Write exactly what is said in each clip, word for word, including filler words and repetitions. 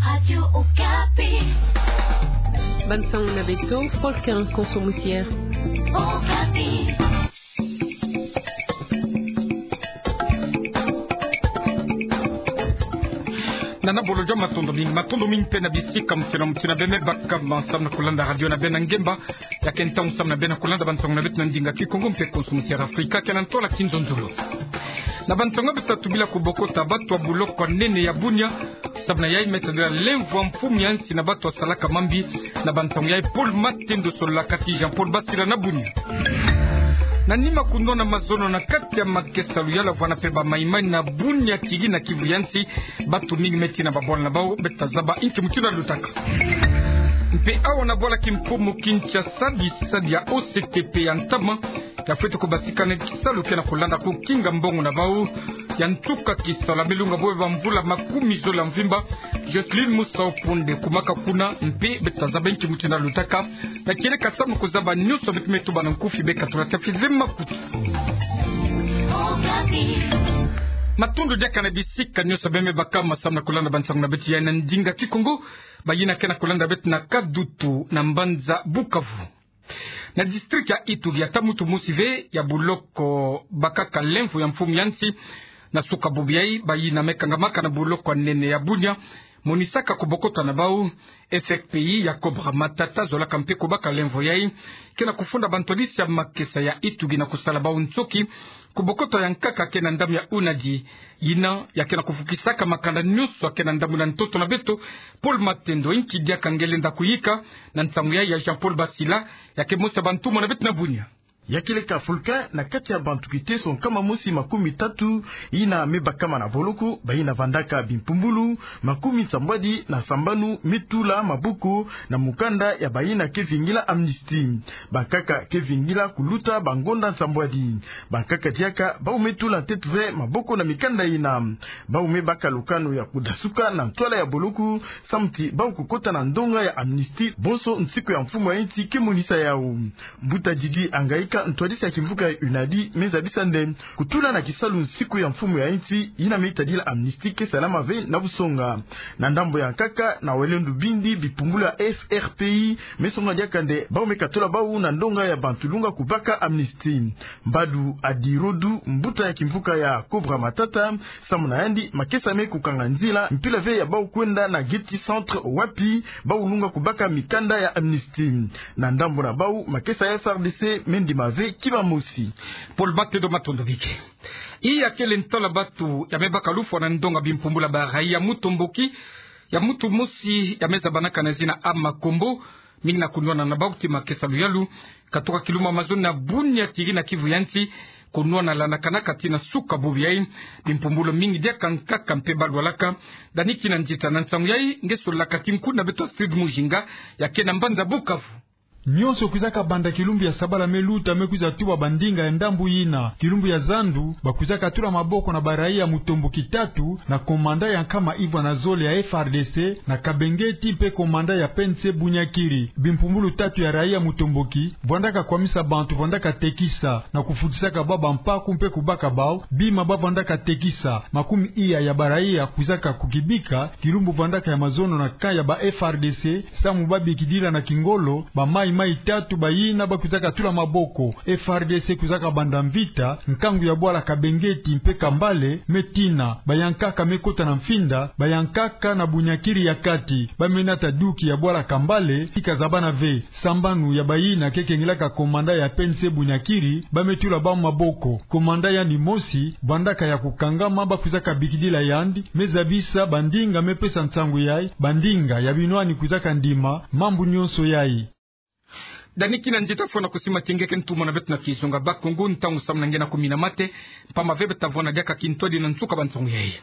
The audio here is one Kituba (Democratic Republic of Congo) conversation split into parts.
Radio Okapi. Bansango na beto, Paul Ken Konso Musier. Okapi. Nana Bolojo, matondo mingi, matondo mingi mpe na bisika mutindu na mutindu bie me baka ma samu na kulanda radio na beno na ngemba ya ke ntangu samu na beno na kulanda bansango na beto na ndinga Kikongo mpe Konso Musier Afrika, ke na ntwala Kinzonzolo. Na bansango beto ta tubila ku bokota batu ya buloko ya nene ya Bunia, samu na yai me tadila lemvo ya mfumu ya nsi na batu ya salaka mambi. Na bansango yai Paul Matendo sololaka ti Jean-Paul Basila na Bunia. Na nima kunwana mazono na kati ya makesa luyalu ya vwanda mpe ba maimai na Bunia, Kiri na Kivu ya nsi, batu mingi me tina babwala na bau. Beto ta zaba inki mutindu ya lutaka. Mpe awa na bwala kimfumu Kinshasa, bisadi ya O C T P ya ntama ya fweti kubasika na kisalu ke na kulanda kukinga mbongo na bau. Ya ntuka kisalu ya me lunga bwe bamvula makumi zole ya mvimba, Jocelyne Musau Ponde kumaka kuna, mpe beto ta zaba inki mutindu ya lutaka. Na kieleka samu kuzaba nyonso, beto me tuba na nkufi, beka tula ta fize makutu. Matondo diaka na bisika nyonso bie me baka ma samu na kulanda bansango na beto ya na ndinga Kikongo. Bayina ke na kulanda beto na Kadutu na mbanza Bukavu. Na district ya Ituri, ata muntu mosi ve ya buloko bakaka lemvo ya mfumu ya nsi. Na suka bubu yai, bayina me kangamaka na buloko ya nene ya Bunia monisaka ku bokota na bau F R P I ya Cobra Matata, zolaka mpe kubaka lemvo yai, ke na kufunda bantwadisi ya makesa ya Ituri na kusala bau nsoki ku bokota ya nkaka ke na ndambu ya UNADI. Yina ya ke na kufukisaka makanda nyonso ya ke na ndambu na ntoto na beto. Paul Matendo, inki diaka nge lenda kuyika na nsangu yai ya Jean-Paul Basila, ya ke mosi ya bantumwa na beto na Bunia? Ya kieleka Fulkin, na kati ya bantu kiteso nkama mosi makumi tatu yina me bakama na boloko, bayina vandaka bimpumbulu makumi nsambwadi na sambanu me tula maboko na mukanda ya bayina ke vingila amnistie. Bankaka ke vingila kuluta bangonda nsambwadi. Bankaka diaka bau me tula ntete ve maboko na mikanda yina. Bau me baka lukanu ya kudasuka na ntwala ya boloko, samu ti bau kukota na ndonga ya amnistie bonso nsiku ya mfumu ya nsi ke monisa yau. Mbuta Didi Angaika, ntwadisi ya kimvuka ya UNADI, me zabisa nde kutula na kisalu nsiku ya mfumu ya nsi yina me tadila amnistie ke salama ve na busonga. Na ndambu ya nkaka, na wele ndubindi, bipumbulu ya F R P I me songa diaka nde bau me katula bau na ndonga ya bantu lunga kubaka amnistie. Mbadu Adirodu, mbuta ya kimvuka ya Cobra Matata, samu na yandi, makesa me kukanga nzila mpila ve ya bau kwenda na Getty Centre, wapi bau lunga kubaka mikanda ya amnistie. Na ndambu na bau, makesa ya F R D C me ndima ve kiba mosi. Paul Matendo, matondo mingi. Iya kele ntwala batu ya me baka lufwa na ndonga bimpumbulu ya ba raia ya Mutomboki, ya muntu mosi ya me zabanaka na zina Ama Kombo, mingi na kunwana na bau ti makesa luyalu katuka kilumbu ya mazono na Bunia, Kiri na Kivu ya nsi, kunwana landakanaka tii na suka bubu yai. Bimpumbulu mingi diaka nkaka mpe balwalaka. Dani Kinanzita, na nsangu yai nge sololaka ti nkundi na beto Astrid Mujinga, ya ke na mbanza Bukavu. Nyonso kwizaka banda kilumbu ya sabala me luta, me kwiza tuba bandinga ya ndambu yina. Kilumbu ya zandu, bakwizaka tula maboko na ba raia ya Mutomboki tatu na komanda ya nkama ivwa na zole ya F R D C na Kabengeti mpe komanda ya P N C Bunia-Kiri. Bimpumbulu tatu ya raia ya Mutomboki vwandaka kwamisa bantu, vwandaka tekisa na kufutisaka bau bampaku mpe kubaka bau bima bavwandaka tekisa. Makumi iya ya ba raia kwizaka kukibika. Kilumbu vwandaka ya mazono na camp ya ba F R D C, samu babikidila na kingolo ba maï-maï tatu bayina bakwizaka tula maboko. F R D C kwizaka banda mvita nkangu ya bwala Kabengeti mpe Kambale, me tina bayankaka me kota na mfinda, bayankaka na Bunia-Kiri ya kati. Ba me nata duki ya bwala Kambale, ti kazabana ve. Sambanu ya bayina ke kengilaka komanda ya P N C Bunia-Kiri, ba me tula bau maboko. Komanda yandi mosi, vwandaka ya kukangama, bakwizaka bikidila yandi, me zabisa bandinga, me pesa nsangu yai, bandinga ya binwani kwizaka ndima mambu nyonso yai. Dani Kinanzita, fwana kusimat'inga, ke ntumwa na beto na kizunga Bakongo, ntangu samu na nge na kumina mate, mpamba ve beta vwanda diaka kintwadi na nsuka bansangu yai.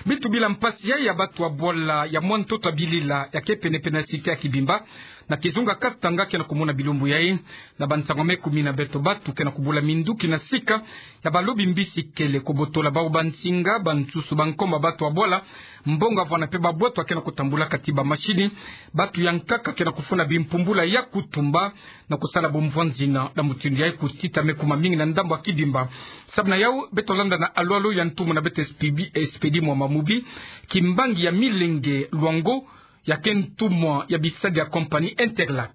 Beto tubila mpasi yai ya batu ya bwala ya mwa ntoto ya bilila ya ke penepene ya cité ya Kibimba, Na kizunga Katanga ke na kumona bilumbu yai na bansango me kumi na beto batu ke na kubula minduki na sika ya balobi mbisi kele, kobotola bau bansinga, bansusu, bankoma, batu ya bwala, mbongo, avwanda mpe babwatu ke na kutambula kati ba mashini. Batu ya nkaka ke na kufunda bimpumbulu ya kutumba na kusala bumvwanzina na mutindu yai kutita me kuma mingi na ndambu ya Kibimba. Samu na yau, beto landa na alwalu ya ntumwa na beto Expedi, Expedi Mwamba Mubi, kimbangi ya Milenge Luango, ya ke ntumwa ya bisadi ya compagnie Interlac.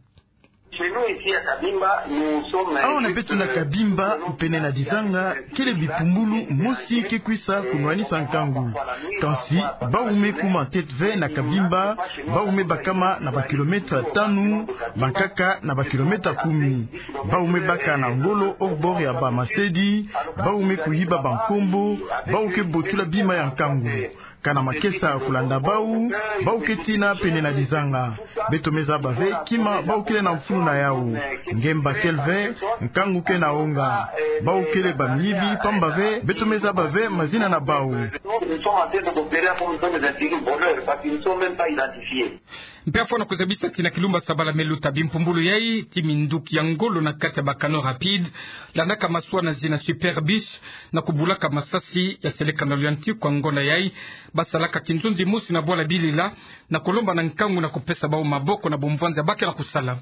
Awa na beto na Kabimba, pene na Dizanga, kele bipumbulu mosi ke kwisa kunwanisa nkangu. Kansi, bau me kuma ntete ve na Kabimba, bau me bakama na ba kilomètre tanu, bankaka na ba kilomètre kumi. Bau me baka na ngolo au bord ya ba masedi, bau me kuhiba bankombo, bau ke botula bima ya nkangu. Kana makesa kulanda bau, bau ke tina pene na Dizanga. Beto me zaba ve kima bau kele na mfunu na yau. Ngemba kele ve, nkangu ke na onga. Bau kele bamiyibi, pamba ve beto me zaba ve mazina na bau. Mpe afwa na kuzabisa tina kilumbu ya sabala me luta, bimpumbulu yai ti minduki ya ngolo na kati ya ba canots rapides, landaka maswa na zina Super Biche, na kubulaka masasi ya seleka na luyantiku ya ngonda yai. Basalaka kinzonzi mosi na bwala Bilila, na kulomba na nkangu na kupesa bau maboko na bumvwanza ba ke na kusala.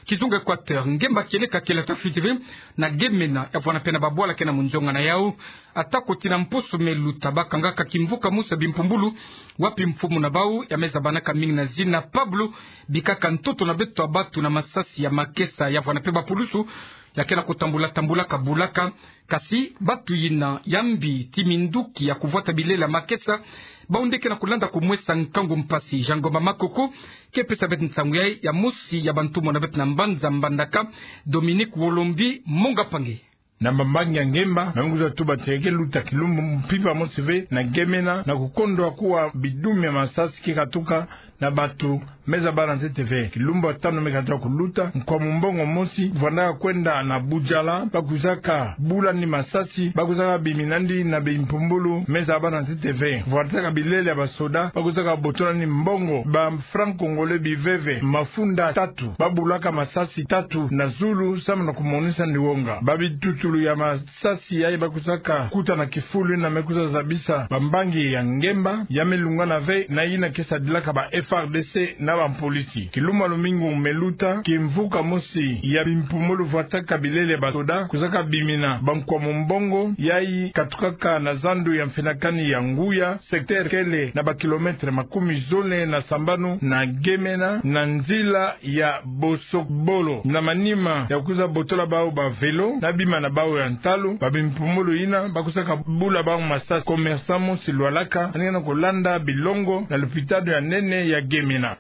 Kizunga Equateur, ngemba kieleka kele ata fiti ve na Gemena, ya vwanda mpe na babwala ke na munzonga na yau. Ata ko tina mposo me luta, bakangaka kimvuka mosi ya bimpumbulu, wapi mfumu na bau ya me zabanaka mingi na zina Pablo, bikaka ntoto na beto ya batu na masasi ya makesa, ya vwanda mpe bapulusu ya ke na kutambula tambula kabulaka. Kasi batu yina ya mbi ti minduki ya kuvwata bilele ya makesa, bau nde ke na kulanda kumwesa nkangu mpasi. Jean Ngoma Makoko ke pesa beto nsangu yai, ya mosi ya bantumwa na beto na mbanza Mbandaka, Dominique Wolombi Monga Pange. Na mbambangi ya ngemba, na mungu za tuba teke luta kilumbu mpimpa mosi ve na Gemena, na kukondwa kuwa bidumi ya masasi ke katuka na batu me zabala ntete ve. Kilumbu ya tanu me katuka kuluta, nkwa mumbongo mosi vwandaka kwenda na Budjala, ba kwizaka bula yandi masasi, ba kwizaka bimina yandi na bimpumbulu me zabala ntete ve. Vwandaka bilele ya basoda, ba kwizaka botola yandi mbongo ba francs congolais biveve, mafunda tatu, ba bulaka masasi tatu na zulu, samu na kumonisa yandi wonga. Ba bitutulu ya ma sasi yai ba kwizaka kuta na kifulu yina me kwiza zabisa bambangi ya ngemba, ya me lungana ve na yina ke sadilaka ba F A R D C na bampolisi. Kilumbu ya lumingu me luta, kimvuka mosi ya bimpumbulu vwataka bilele ya basoda kwizaka bimina bankwa mumbongo yai katukaka na zandu ya mfinakani ya Nguya, secteur kele na ba kilomètre makumi zole na sambanu na Gemena, na nzila ya Bosokbolo. Na manima ya kwiza botola bau ba vélo na bima na bau ya ntalu, ba bimpumbulu yina ba kwizaka bula bau masasi. Commerçant mosi lwalaka, yandi ke na kulanda bilongo na lopitalo ya nene ya Gemena.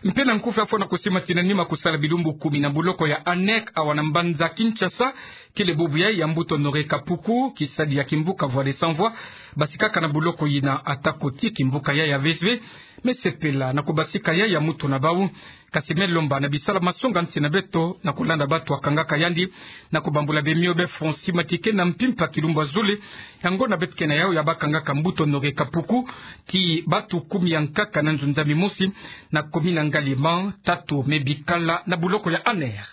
Mpe na nkufi, afwa na kusima tina nima kusala bilumbu kumi na buloko ya ANER awa na mbanza Kinshasa, kele bubu yai ya mbuta Honoré Kapuku, kisadi ya kimvuka Voix des Sans Voix, basikaka na buloko yina. Ata ko ti kimvuka yai ya V S V me sepela na kubasika yai ya mutu na bau, kasi me lomba na bisala masonga nsi na beto na kulanda batu ya kangaka yandi, na kubambula bemio be Francis Matike na mpimpa kilumbu ya zole ya ngonda beto ke na yau, ya bakangaka mbuta Honoré Kapuku ti batu kumi ya nkaka na nzunzami mosi na commune ya Ngaliema, tatu me bikala na buloko ya ANER.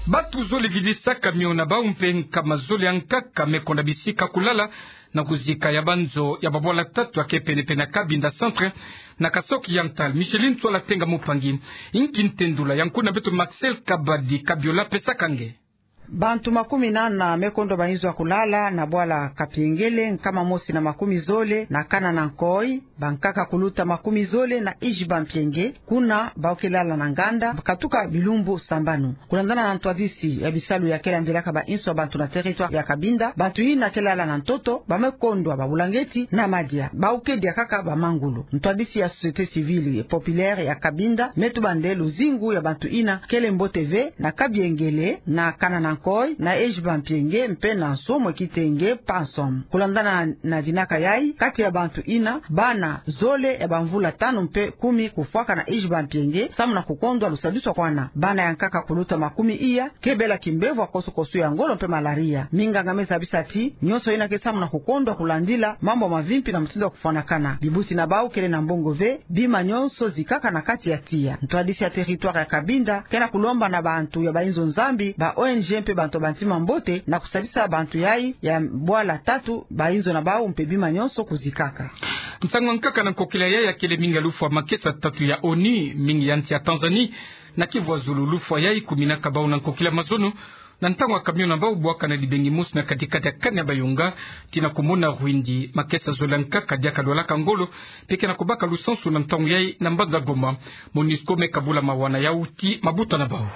Batu zole vidisaka mio na bau mpe nkama zole ya nkaka me konda bisika kulala na kuzika ya banzo ya babwala tatu ya ke penepene na Cabinda Centre na Kasaï Oriental. Micheline Ntsoila Tenga Mupangi, inki ntendula ya nkuna beto Marcel Kabadi Kabiola pesaka nge? Bantu makumi nana me kondwa ba inzo ya kulala na bwala Kapiengele, nkama mosi na makumi zole na Kana na Nkoy, bankaka kuluta makumi zole na Ijibampienge, kuna bau ke lala na nganda katuka bilumbu sambanu. Kulandana na ntwadisi ya bisalu ya ke landilaka ba inzo ya bantu na territoire ya Cabinda, bantu yina ke lala na ntoto ba me kondwa ba bulangeti na madia, bau ke dia kaka ba mangulu. Ntwadisi ya société civile populaire ya Cabinda me tuba nde luzingu ya bantu yina kele mbote ve na Kapiengele, na Kana na Nkoy, na Ijibampienge mpe na Nsomo Kitenge Pansom. Kulandana na dinaka yai, kati ya bantu yina, bana zole ya bamvula tanu mpe kumi kufwaka na iji bampienge, samu na kukondwa lusadisu kwa bana. Bana ya nkaka kuluta makumi iya ke bela kimbevo ya koso-koso ya ngolo mpe malaria. Minganga me zabisa ti nyonso yina ke samu na kukondwa kulandila mambu mavimpi na mutindu ya kufwanakana. Bibuti na bau kele na mbongo ve, bima nyonso zikaka na kati ya tiya. Ntwadisi ya territoire ya Cabinda ke na kulomba na bantu ya bayinzo Nzambi, ba O N G mpe bantu ya bantima mbote na kusadisa bantu yayi ya bwala tatu, bayinzo na bau mpe bima nyonso kuzikaka. Nsangu ya nkaka na nkokila yayi ya kele mingi ya lufwa makesa tatu ya ONU, mingi ya nsi ya Tanzanie, na Kivu ya zulu. Lufwa yayi kuminaka bau na nkokila mazono, na ntangu ya camion na bau bwaka na dibengi mosi na kati-kati ya Kanyabayonga, tii na kumona Rwindi. Makesa zole ya nkaka diaka lwalaka ngolo, mpe ke na kubaka lusansu na ntangu yayi na mbanza Goma. MONUSCO me kabula mawa na yau tii mabuta na bau.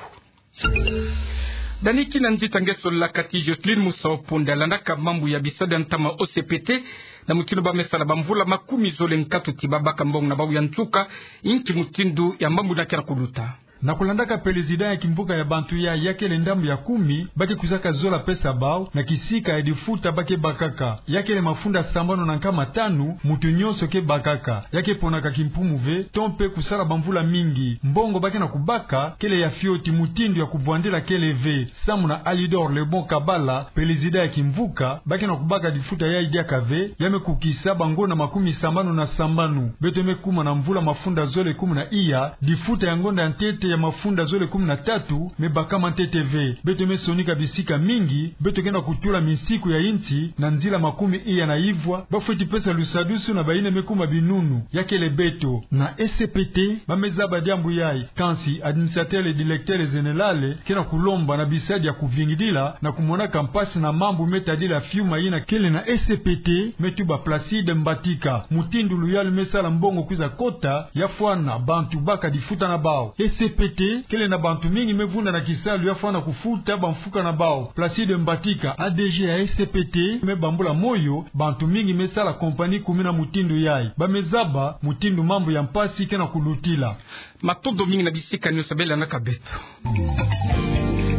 Dani kina nzita nge solaka ti Jocelyne Musau Punda, landaka mambu ya bisalu ya ntama O C P T, na mutindu ba me sala bamvula makumi zole nkatu tii ba baka mbongo na bau ya nsuka. Inki mutindu ya mambu yina ke na kuluta? Na kulandaka pelezida ya kimvuka ya bantu yayi, ya kele ndambu ya kumi ba ke kwisaka zola pesa bau na kisika ya difuta ba ke bakaka. Ya kele mafunda sambanu na nkama tanu mutu nyonso ke bakaka. Ya ke ponaka kimpumu ve, to mpe kusala bamvula mingi. Mbongo ba ke na kubaka kele ya fioti, mutindu ya kubwandila kele ve. Samu na Alidor Lebon Kabala, pelezida ya kimvuka, ba ke na kubaka difuta yayi diaka ve, ya me kukisa bangonda makumi sambanu na sambanu. Beto me kuma na mvula mafunda zole kumi na iya, difuta ya ngonda ya ntete ya mafunda zole kumi na tatu me bakama ntete ve. Beto me sonika bisika mingi, beto ke na kutula minsiku ya insi na nzila makumi iya na ivwa, ba fweti pesa lusadusu na bayina me kuma binunu, ya kele beto. Na E C P T ba me zaba diambu yayi, kansi administrateur directeur général ke na kulomba na bisadi ya kuvingidila na kumonaka mpasi na mambu me tadila fiuma yina kele na E C P T, me tuba Placide Mbatika. Mutindu luyalu me sala mbongo kwiza kota, ya fwana bantu baka difuta na bau. E C P T kele na bantu mingi me vunda na kisalu ya fwana kufuta bamfuka na bau. Placide Mbatika, A D G ya E C P T, me bambula moyo bantu mingi me sala compagnie kumina mutindu yayi. Ba me zaba mutindu mambu ya mpasi ke na kulutila. Matondo mingi na bisika nyonso bê landaka beto.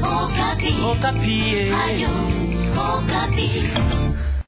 Okapi. Okapi, eh. Radio Okapi.